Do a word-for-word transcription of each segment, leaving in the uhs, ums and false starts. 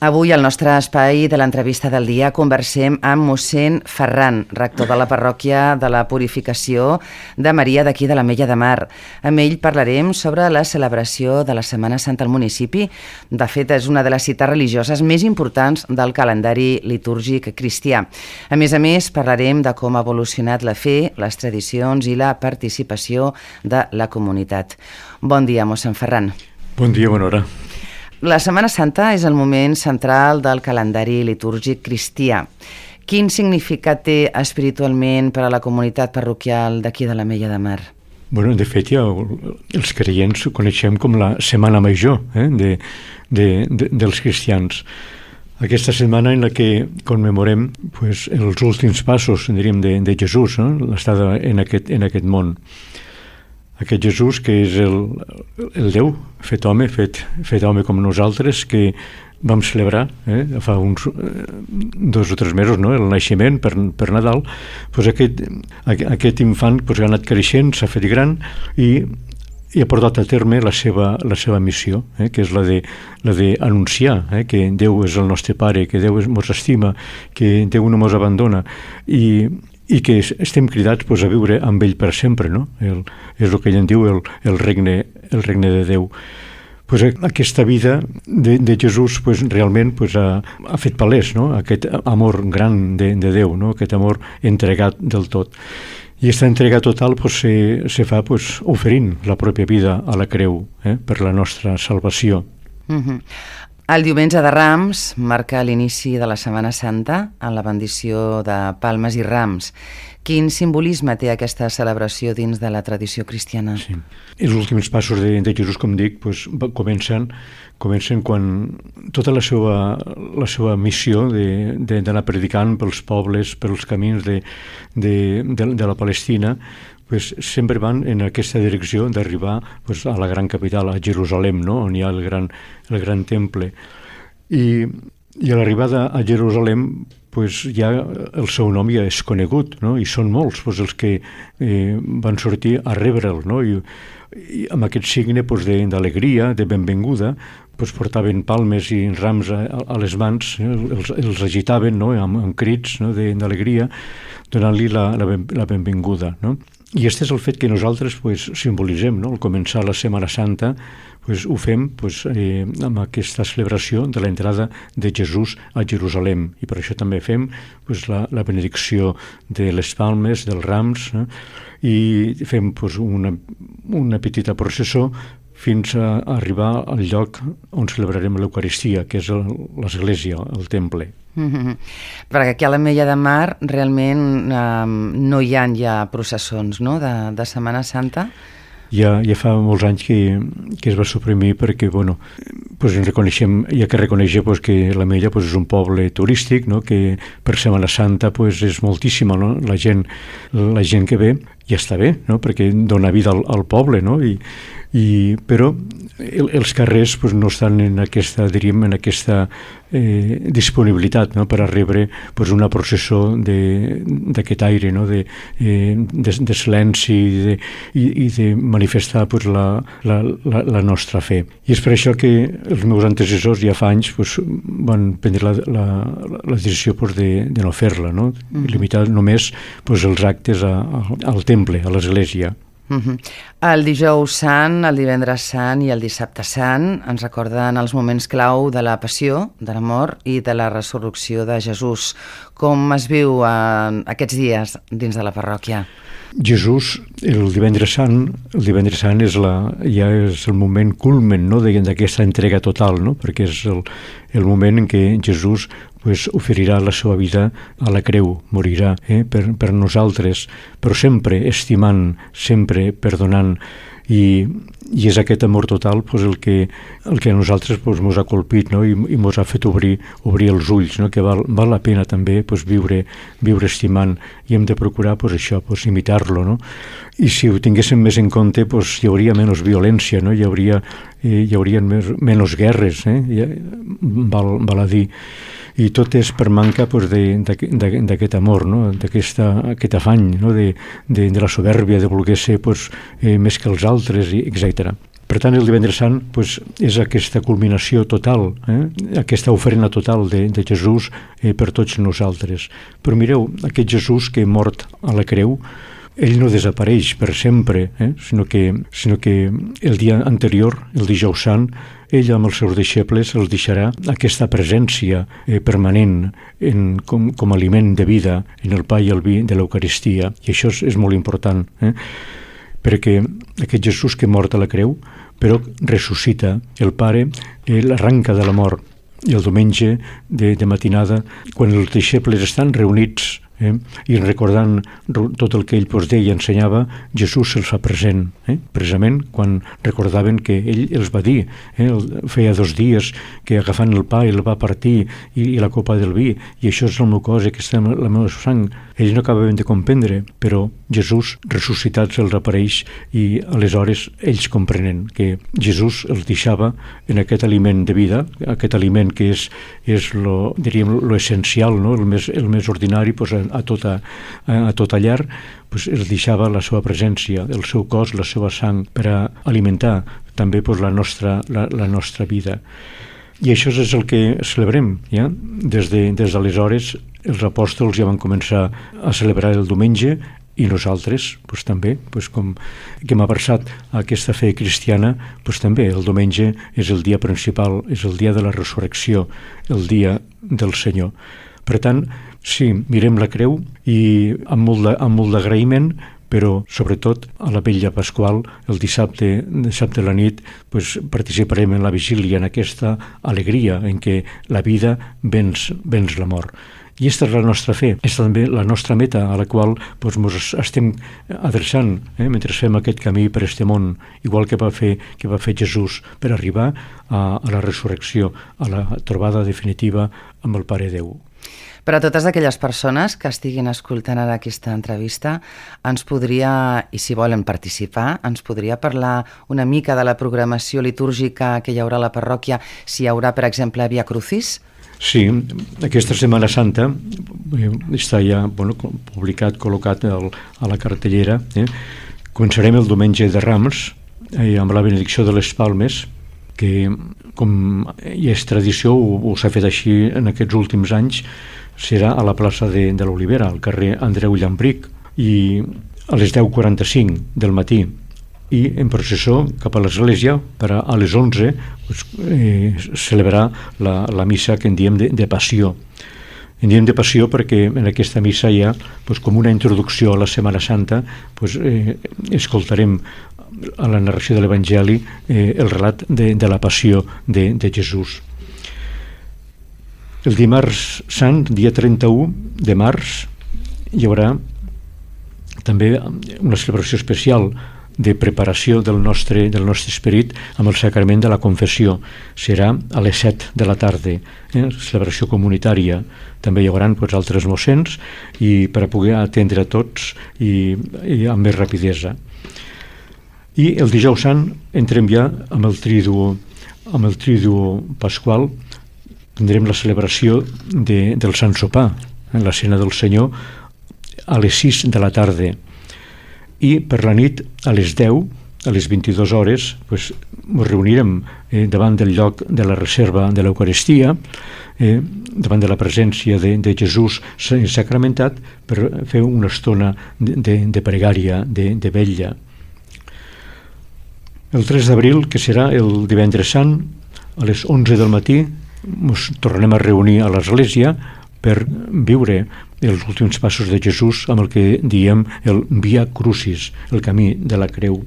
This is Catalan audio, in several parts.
Avui, al nostre espai de l'entrevista del dia, conversem amb mossèn Ferran, rector de la parròquia de la Purificació de Maria d'aquí de l'Ametlla de Mar. Amb ell parlarem sobre la celebració de la Setmana Santa al municipi. De fet, és una de les cites religioses més importants del calendari litúrgic cristià. A més a més, parlarem de com ha evolucionat la fe, les tradicions i la participació de la comunitat. Bon dia, mossèn Ferran. Bon dia, bona hora. La Setmana Santa és el moment central del calendari litúrgic cristià. Quin significat té espiritualment per a la comunitat parroquial d'aquí de l'Ametlla de Mar? Bueno, de fet, ja els creients ho coneixem com la Setmana Major eh, de, de, de, dels cristians. Aquesta setmana en la que commemorem pues, els últims passos, diríem, de, de Jesús, no? L'estada en aquest, en aquest món. Aquest Jesús que és el, el Déu fet home, fet, fet home com nosaltres, que vam celebrar eh, fa uns eh, dos o tres mesos, no? El naixement per, per Nadal. Pues aquest, aquest infant pues, ha anat creixent, s'ha fet gran i, i ha portat a terme la seva, la seva missió, eh, que és la de, la de anunciar eh, que Déu és el nostre Pare, que Déu ens estima, que Déu no ens abandona i i que estem cridats pues, a viure amb ell per sempre, no? El, és el que ell en diu el, el, regne, el regne de Déu. Pues, aquesta vida de, de Jesús pues, realment pues, ha, ha fet palès, no? Aquest amor gran de, de Déu, no? Aquest amor entregat del tot. I aquesta entrega total pues, se, se fa pues, oferint la pròpia vida a la creu eh? Per la nostra salvació. Mm-hmm. El diumenge de Rams marca l'inici de la Setmana Santa en la bendició de palmes i rams. Quin simbolisme té aquesta celebració dins de la tradició cristiana? Sí. Els últims passos de, de Jesús, com dic, pues, comencen, comencen quan tota la seva, la seva missió d'anar predicant pels pobles, pels camins de, de, de, de la Palestina, pues, sempre van en aquesta direcció d'arribar pues, a la gran capital, a Jerusalem, no? On hi ha el gran, el gran temple. I, i a l'arribada a Jerusalem pues, ja el seu nom ja és conegut, no? I són molts pues, els que eh, van sortir a rebre'l, no? I, i amb aquest signe pues, d'alegria, de, de benvinguda, pues, portaven palmes i rams a, a les mans, eh? els, els agitaven no? amb, amb crits no? d'alegria, donant-li la, la, ben, la benvinguda, no? I aquest és el fet que nosaltres pues, simbolitzem, no? Al començar la Setmana Santa pues, ho fem pues, eh, amb aquesta celebració de l'entrada de Jesús a Jerusalem i per això també fem pues, la, la benedicció de les palmes, dels rams eh? I fem pues, una, una petita processó fins a arribar al lloc on celebrarem l'Eucaristia, que és l'església, el temple. Mm-hmm. Perquè aquí a l'Ametlla de Mar realment eh, no hi ha ja processons no? de, de Setmana Santa? Ja, ja fa molts anys que, que es va suprimir perquè, bueno, pues ens reconeixem, hi ha que reconèixer pues, que l'Ametlla pues, és un poble turístic, no? Que per Setmana Santa pues, és moltíssima, no? La gent, la gent que ve ja està bé, no? Perquè dona vida al, al poble, no? I, i, però el, els carrers pues, no estan en aquesta, diríem, en aquesta eh, disponibilitat no? Per a rebre pues, una processó d'aquest aire, no? de, eh, de, de silenci i de, i, i de manifestar pues, la, la, la, la nostra fe. I és per això que els meus antecessors ja fa anys pues, van prendre la, la, la decisió pues, de, de no fer-la, no? Mm-hmm. Limitar només pues, els actes a, a, al temple, a l'església. Uh-huh. El dijous sant, el divendres sant i el dissabte sant ens recorden els moments clau de la passió, de la mort i de la resurrecció de Jesús. Com es viu eh, aquests dies dins de la parròquia? Jesús, el divendres sant, el divendres sant és la, ja és el moment culmen no, d'aquesta entrega total, no? Perquè és el, el moment en què Jesús pues, oferirà la seva vida a la creu, morirà eh, per, per nosaltres, però sempre estimant, sempre perdonant, i, i és aquest amor total pues, el, que, el que a nosaltres pues, mos ha colpit no? I, i mos ha fet obrir, obrir els ulls, no? Que val, val la pena també pues, viure, viure estimant i hem de procurar pues, això, pues, imitar-lo. No? I si ho tinguéssim més en compte pues, hi hauria menys violència, no? Hi hauria, eh, hi hauria més, menys guerres, eh? Ja, val, val a dir. I tot és per manca pues, d'aquest amor, no? D'aquest afany no? de, de, de la soberbia, de voler ser pues, eh, més que els altres, etcètera. Per tant, el divendres sant pues, és aquesta culminació total, eh? aquesta ofrena total de, de Jesús eh, per tots nosaltres. Però mireu, aquest Jesús que és mort a la creu, ell no desapareix per sempre, eh? sinó, que, sinó que el dia anterior, el dijous sant, ell amb els seus deixebles els deixarà aquesta presència eh, permanent en, com, com aliment de vida en el pa i el vi de l'Eucaristia. I això és, és molt important, eh? perquè aquest Jesús que mort a la creu, però ressuscita. El Pare eh, l'arranca de la mort. I el diumenge de, de matinada, quan els deixebles estan reunits eh, i recordant tot el que ell pues, deia i ensenyava, Jesús se'ls fa present, eh, precisament quan recordaven que ell els va dir, eh, feia dos dies que agafant el pa el va partir i, i la copa del vi, i això és el meu cos, aquesta és la meva sang. Ells no acabaven de comprendre, però Jesús ressuscitat se'ls apareix i aleshores ells comprenen que Jesús els deixava en aquest aliment de vida, aquest aliment que és, és lo, diríem, lo essencial, no? el, més, el més ordinari pues, a, a, tota, a, a tota llar, pues, els deixava la seva presència, el seu cos, la seva sang, per a alimentar també pues, la, nostra, la, la nostra vida. I això és el que celebrem, ja? Des de, des d'aleshores els apòstols ja van començar a celebrar el diumenge i nosaltres pues, també, pues, com que hem abraçat aquesta fe cristiana, pues, també el diumenge és el dia principal, és el dia de la resurrecció, el dia del Senyor. Per tant, sí, mirem la creu i amb molt de, amb molt d'agraïment, però sobretot a la vetlla pasqual, el dissabte, dissabte a la nit, pues, participarem en la vigília, en aquesta alegria en què la vida venç, venç la mort. I aquesta és la nostra fe, és també la nostra meta a la qual pues, ens estem adreçant eh, mentre fem aquest camí per este món, igual que va fer, que va fer Jesús per arribar a, a la resurrecció, a la trobada definitiva amb el Pare Déu. Per a totes aquelles persones que estiguin escoltant ara aquesta entrevista, ens podria, i si volen participar, ens podria parlar una mica de la programació litúrgica que hi haurà a la parròquia, si hi haurà, per exemple, Via Crucis? Sí, aquesta Setmana Santa està ja bueno, publicat, col·locat al, a la cartellera. Eh? Començarem el diumenge de Rams eh, amb la benedicció de les Palmes, que com ja és tradició, o, o s'ha fet així en aquests últims anys, serà a la plaça de, de l'Olivera, al carrer Andreu Llambric, i a les deu quaranta-cinc del matí, i en processó cap a l'església per a, a les onze pues, eh, celebrar la, la missa que en diem de, de passió. En diem de passió perquè en aquesta missa hi ha pues, com una introducció a la Setmana Santa, pues, eh, escoltarem a la narració de l'Evangeli eh, el relat de, de la passió de, de Jesús. El dimarts sant, dia trenta-u de març, hi haurà també una celebració especial de preparació del nostre, del nostre esperit amb el sacrament de la confessió. Serà a les set de la tarda, eh? celebració comunitària. També hi haurà pues, altres mossens i per a poder atendre a tots i, i amb més rapidesa. I el dijous sant entrem ja amb el triduo, amb el triduo pasqual. Tindrem la celebració de, del Sant Sopar, eh, la Cena del Senyor, a les sis de la tarda. I per la nit, a les deu, a les vint-i-dues hores, pues, ens reunirem eh, davant del lloc de la reserva de l'Eucaristia, eh, davant de la presència de, de Jesús sacramentat, per fer una estona de, de, de pregària, de, de vetlla. El tres d'abril, que serà el divendres sant, a les onze del matí, ens tornem a reunir a l'església per viure els últims passos de Jesús amb el que diem el Via Crucis, el camí de la creu.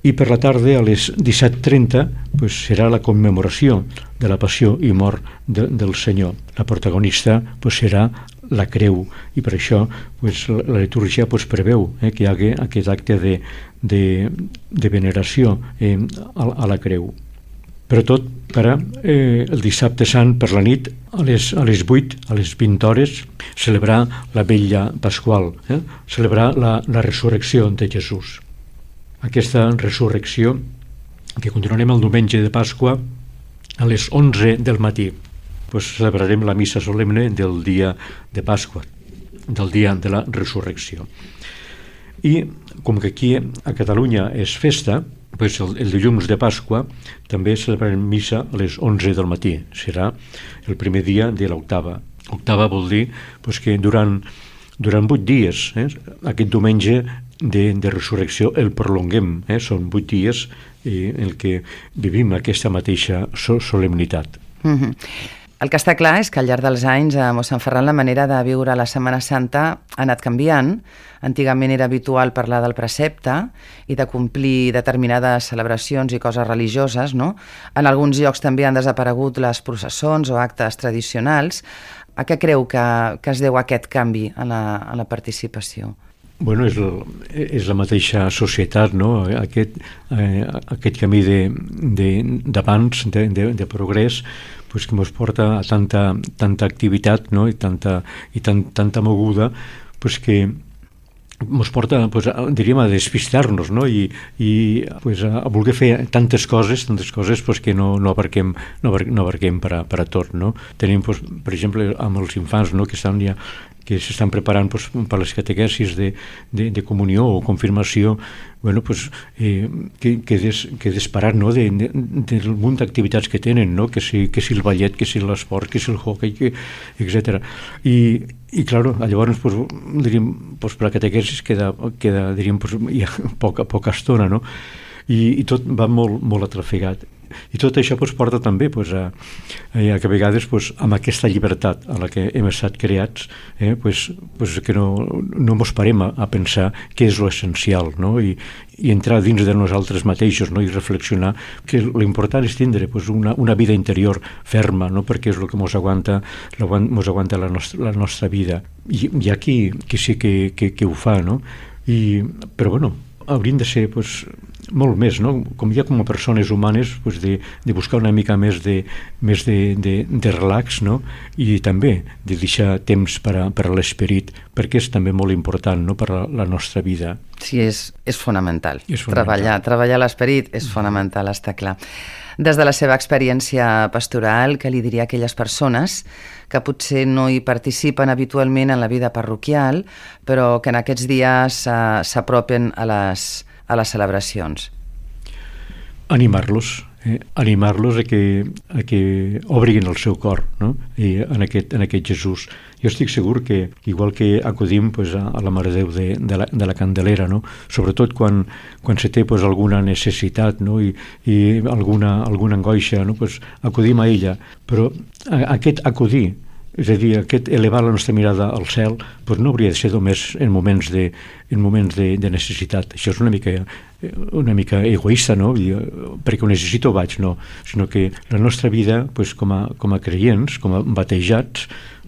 I per la tarda, a les disset trenta, pues, serà la commemoració de la passió i mort de, del Senyor. La protagonista pues, serà la creu, i per això pues, la, la litúrgia pues, preveu eh, que hi hagi aquest acte de, de, de veneració eh, a, a la creu. Però tot per a, eh, el dissabte sant per la nit, a les, a les vuit, a les vint hores, celebrar la vetlla pasqual, eh? celebrar la, la resurrecció de Jesús. Aquesta resurrecció, que continuarem el diumenge de Pasqua, a les onze del matí, pues celebrarem la missa solemne del dia de Pasqua, del dia de la resurrecció. I com que aquí a Catalunya és festa, pues el, el dilluns de Pasqua també celebrarem missa a les onze del matí. Serà el primer dia de l'octava. Octava vol dir pues, que durant, durant vuit dies, eh, aquest diumenge de, de resurrecció el prolonguem. Eh, són vuit dies eh, en què vivim aquesta mateixa so, solemnitat. Mm-hmm. El que està clar és que al llarg dels anys a mossèn Ferran la manera de viure la Setmana Santa ha anat canviant. Antigament era habitual parlar del precepte i de complir determinades celebracions i coses religioses, no? En alguns llocs també han desaparegut les processons o actes tradicionals. A què creu que, que es deu aquest canvi en la, en la participació? Bueno, és, el, és la mateixa societat, no? Aquest, eh, aquest camí d'abans, de, de, de, de progrés, pues, que ens porta a tanta, tanta activitat, no? I, tanta, i tan, tanta moguda, pues, que ens porta, pues, a, diríem, a despistar-nos, no? I, i pues, a, a voler fer tantes coses, tantes coses pues, que no, no abarquem, no, no abarquem per, a, per a tot, no? Tenim, pues, per exemple, amb els infants, no? Que estan ja que s'estan preparant pues, per les catequesis de, de, de comunió o confirmació, bueno, pues, eh, que, que, des, que desparat, no? de, de, del munt d'activitats que tenen, no? que, si, que si el ballet, que si l'esport, que si el hockey, que, etcètera. I, i claro, llavors, pues, diríem, pues, per la catequesis queda, queda diríem, pues, ja poca, poca estona, no? I, i tot va molt, molt atrafegat. I tot això pues, porta també pues, a, a que a vegades pues, amb aquesta llibertat a la que hem estat creats eh, pues, pues, que no, no mos parem a, a pensar què és l'essencial, no? I, i entrar dins de nosaltres mateixos, no? I reflexionar que l'important és tindre pues, una, una vida interior ferma, no? Perquè és el que mos aguanta, mos aguanta la, nostra, la nostra vida. I hi ha qui, qui sí que, que, que ho fa, no? I, però bueno, haurien de ser pues, molt més, no? Com ja com a persones humanes pues, de, de buscar una mica més de, més de, de, de relax, no? I també de deixar temps per a, per a l'esperit, perquè és també molt important, no? Per a la nostra vida. Sí, és, és fonamental. És fonamental. Treballar, treballar l'esperit és fonamental, està clar. Des de la seva experiència pastoral, què li diria a aquelles persones que potser no hi participen habitualment en la vida parroquial, però que en aquests dies uh, s'apropen a les, a les celebracions? Animar-los, eh? Animar-los a que, a que obrin el seu cor, no? I en, aquest, en aquest Jesús. Jo estic segur que, igual que acudim pues, a, a la Mare de Déu de, de, la, de la Candelera, no? Sobretot quan, quan se té pues, alguna necessitat, no? I, i alguna, alguna angoixa, no? Pues, acudim a ella, però a, aquest acudir, és a dir, aquest elevar la nostra mirada al cel pues no hauria de ser només en moments de, en moments de, de necessitat. Això és una mica, una mica egoista, no? I, perquè ho necessito vaig, no. Sinó que la nostra vida pues, com, a, com a creients, com a batejats,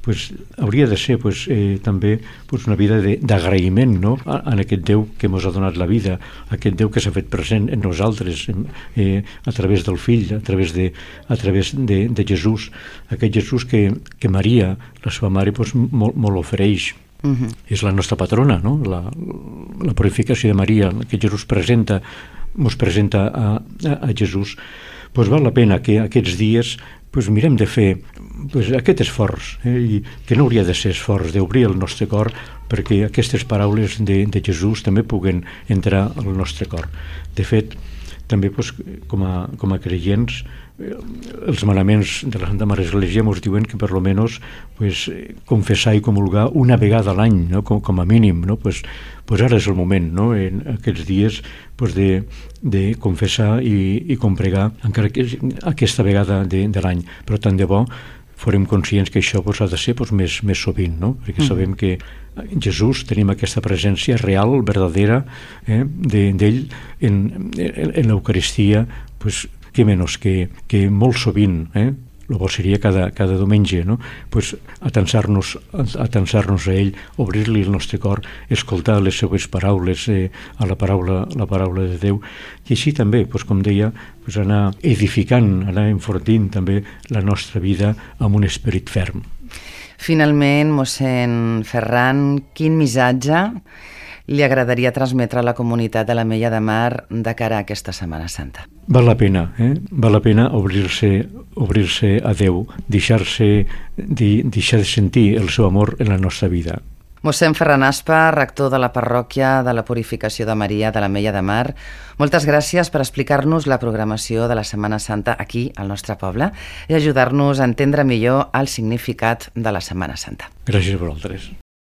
pues, hauria de ser pues, eh, també pues, una vida d'agraïment, no? a, a aquest Déu que ens ha donat la vida, aquest Déu que s'ha fet present en nosaltres eh, a través del Fill, a través de, a través de, de Jesús, aquest Jesús que, que Maria, la seva mare, pues, molt, molt ofereix. Uh-huh. És la nostra patrona, no? la, la purificació de Maria, que Jesús presenta, ens presenta a, a, a Jesús. Pues val la pena que aquests dies pues mirem de fer pues, aquest esforç, eh, i que no hauria de ser esforç d'obrir el nostre cor perquè aquestes paraules de, de Jesús també puguen entrar al nostre cor. De fet, també pues, com, a, com a creients, eh, els manaments de la Santa Mare Església ens diuen que per lo menos pues, confessar i comulgar una vegada a l'any, no? com, com a mínim, no? pues, pues ara és el moment, no? En aquests dies pues, de, de confessar i, i compregar encara que aquesta vegada de, de l'any, però tant de bo farem conscients que això pues, ha de ser pues, més, més sovint, no? Perquè mm. sabem que en Jesús tenim aquesta presència real, verdadera, eh, d'ell de, en, en, en l'Eucaristia, pues, que menys que, que molt sovint, eh, el bo seria cada, cada diumenge, no? Pues, atensar-nos atensar-nos a ell, obrir-li el nostre cor, escoltar les seues paraules, eh, a la paraula, la paraula de Déu, i així també, pues, com deia, pues, anar edificant, anar enfortint també la nostra vida amb un esperit ferm. Finalment, mossèn Ferran, quin missatge li agradaria transmetre a la comunitat de l'Ametlla de Mar de cara a aquesta Setmana Santa? Val la pena, eh? Val la pena obrir-se obrir-se a Déu, deixar-se de, deixar de sentir el seu amor en la nostra vida. Mossèn Ferran Aspa, rector de la parròquia de la Purificació de Maria de l'Ametlla de Mar, moltes gràcies per explicar-nos la programació de la Setmana Santa aquí, al nostre poble, i ajudar-nos a entendre millor el significat de la Setmana Santa. Gràcies a vosaltres.